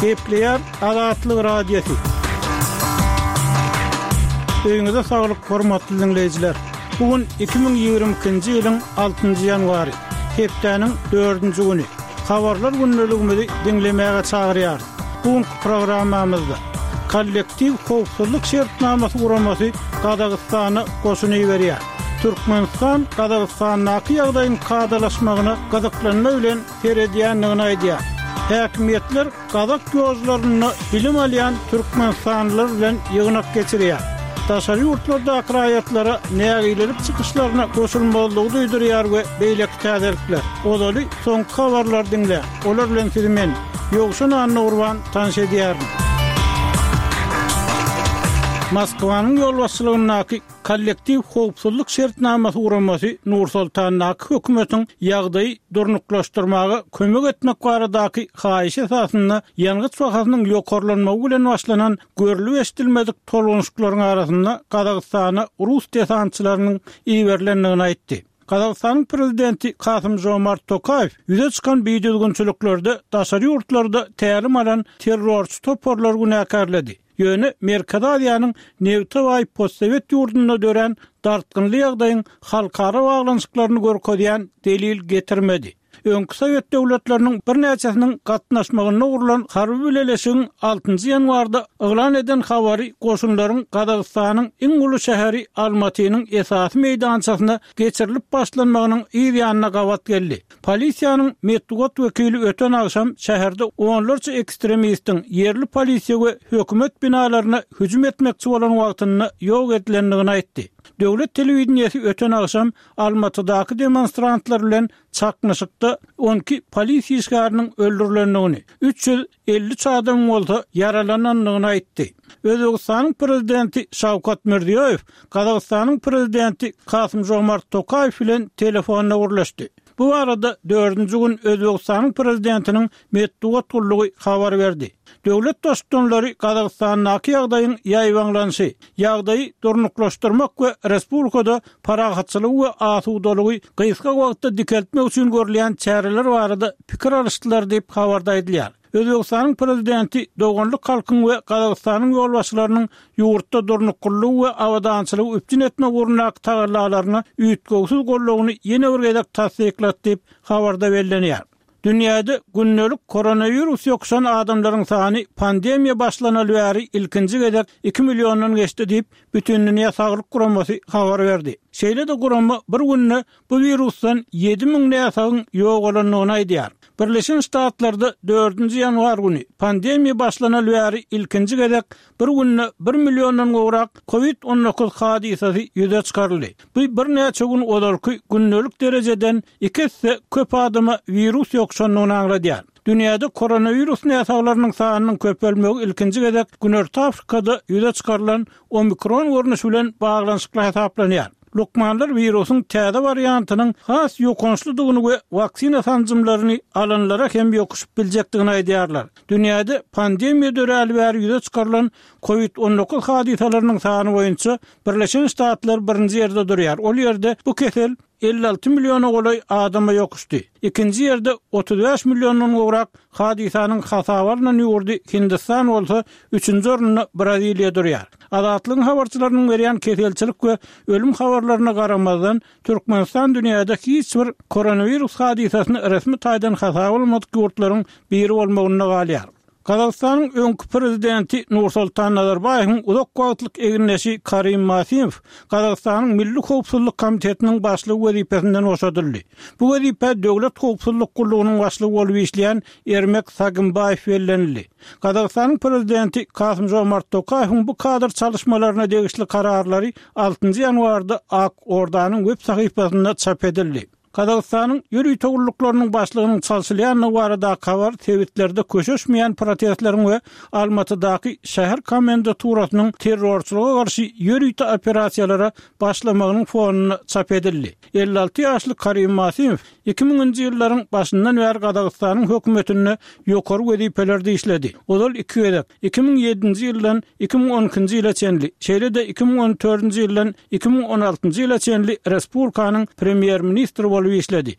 Gepleýär Azatlyk Radiosy. Öýüňize saglyk, hormatly diňleýjiler! Bu gün 2022-nji ýylyň altynjy ýanwary, hepdäniň dördünji güni. Habarlar gündeligimizi diňlemäge çagyrýarys. Bu günki programmamyzda Kollektiw howpsuzlyk şertnamasy guramasy Gazagystana goşun iberýär. Türkmenistan Gazagystandaky ýagdaýyň kadalaşmagyna gyzyklanma bilen seredýändigini aýdýar. Häkimiýetler gazak ýožlarynda bilim alýan türkmenistanlylar bilen ýygnak geçirýär. Daşary ýurtlardaky raýatlara nägilelik çykyşlaryna goşulmazlygy duýdurýar we beýleki täzelikler. Ozaly soňky habarlary diňläň. Olar bilen sizi men, Ýowşan Annagurban tanyş edýärin. Moskwanyň ýolbaşçylygyndaky Kollektiw howpsuzlyk şertnamasy guramasy Nur-Sultandaky hökümetiň ýagdaýy durnuklaşdyrmaga kömek etmek baradaky haýyşy esasynda ýangyç bahasynyň ýokarlanmagy bilen başlanan görlüp-eşidilmedik tolgunyşyklaryň arasynda Gazagystana rus desantçylarynyň iberilendigini aýtdy. Gazagystanyň prezidenti Kasym-Žomart Tokaýew ýüze çykan bidüzgünçiliklerde daşary ýurtlarda tälim alan terrorçy toparlary günäkärledi. Ýöne Merkezi Aziýanyň nebte baý postsowet ýurdunda dörän dartgynly ýagdaýyň halkara baglanyşyklaryny görkezýän delil getirmedi. Öňki sowet döwletleriniň birnäçesiniň gatnaşmagynda gurlan harby bileleşigiň altynjy ýanwarda yglan eden habary goşunlaryň Gazagystanyň iň uly şäheri Almatynyň esasy meýdançasyna geçirilip başlanmagynyň yz ýanyna gabat geldi. Polisiýanyň metbugat wekili öten agşam şäherde onlarça ekstremistiň ýerli polisiýa we hökümet binalaryna hüjüm etmekçi bolan wagtynda ýok edilendigini aýtdy. Döwlet telewideniýesi öten agşam Almatydaky demonstrantlar bilen çaknyşykda 12 polisiýa işgäriniň öldürilendigini, 353 adamyň bolsa ýaralanandygyny aýtdy. Özbegistanyň prezidenti Şawkat Mirziýoýew Gazagystanyň prezidenti Kasym-Žomart Tokaýew bilen telefonda gürleşdi. Bu barada dördünji gün Özbegistanyň prezidentiniň metbugat gullugy habar berdi. Döwlet Baştutanlary Gazagystandaky ýagdaýyň ýaýbaňlanyşy, ýagdaýy durnuklaşdyrmak we respublikada parahatçylygy we asudalygy gysga wagtda dikeltmek üçin görülýän çäreler barada pikir alyşdylar diýip, habarda aýdylýar. Özbegistanyň Prezidenti doganlyk halkyň we Gazagystanyň ýolbaşçylarynyň ýurtda durnuklylygy we abadançylygy üpjün etmek ugrundaky tagallalaryna üýtgewsiz goldawyny ýene bir gezek tassyklady diýip, habarda bellenýär. Dünýäde gündelik koronawirus ýokuşan adamlaryň sany pandemiýa başlanaly bäri ilkinji gezek iki milliondan geçdi diýip, Bütindünýä saglyk guramasy habar berdi. Şeýle-de gurama bir günde bu wirusdan 7000 näsagyň ýogalandygyny aýdýar. Birleşen Ştatlarda dördünji ýanwar güni pandemiýa başlanaly bäri ilkinji gezek bir günde bir milliondan gowrak Covid 19 hadysasy ýüze çykaryldy. Bu birnäçe gün ozalky gündelik derejeden iki esse köp adama wirus ýokuşandygyny aňladýar. Dünýäde koronawirus näsaglarynyň sanynyň köpelmegi ilkinji gezek Günorta Afrikada ýüze çykarylan omikron görnüşi bilen baglanyşykly hasaplanýar. Lukmanlar wirusyň täze wariantynyň has ýokançlydygyny we waksina sanjymlaryny alanlara hem ýokuşyp biljekdigini aýdýarlar. Dünýäde pandemiýa döräli bäri ýüze çykarylan Covid 19 hadysalarynyň sany boýunça Birleşen Ştatlar birinji ýerde durýar. Ol ýerde bu kesel 56 milliona golaý adama ýokuşdy. Ikinji ýerde 35 milliondan gowrak hadysanyň hasaba alnan ýurdy Hindistan bolsa, üçünji orunda Braziliýa durýar. Azatlygyň habarçylarynyň berýän keselçilik we ölüm habarlaryna garamazdan, Türkmenistan dünýäde hiç bir koronawirus hadysasyny resmi taýdan hasaba almadyk ýurtlaryň biri bolmagynda galýar. Gazagystanyň öňki prezidenti Nursultan Nazarbaýewiň uzak wagtlyk egindeşi Karim Masimow Gazagystanyň Milli howpsuzlyk komitetiniň başlygy wezipesinden boşadyldy. Bu wezipä Döwlet howpsuzlyk gullugynyň başlygy bolup işleýän Ermek Sagynbaýew bellenildi. Gazagystanyň prezidenti Kasym-Žomart Tokaýewiň bu kadr çalyşmalaryna degişli kararlary altynjy ýanwarda Ak Ordanyň web sahypasynda çap edildi. Gazagystanyň ýörite gulluklarynyň başlygynyň çalşylýandygy baradaky habar sebitlerde köşeşmeýän protestleriň we Almatydaky şäher komendaturasynyň terrorçylyga garşy ýörite operasiýalara başlamagynyň fonunda çap edildi. 56 ýaşly Karim Masimow iki müňünji ýyllaryň başyndan bäri Gazagystanyň hökümetinde ýokary wezipelerde işledi. Ozal iki gezek, 2007-nji ýyldan 2012-nji ýyla çenli, şeýle-de 2014-nji ýyldan 2016-njy ýyla çenli respublikanyň premýer-ministri bolup işledi.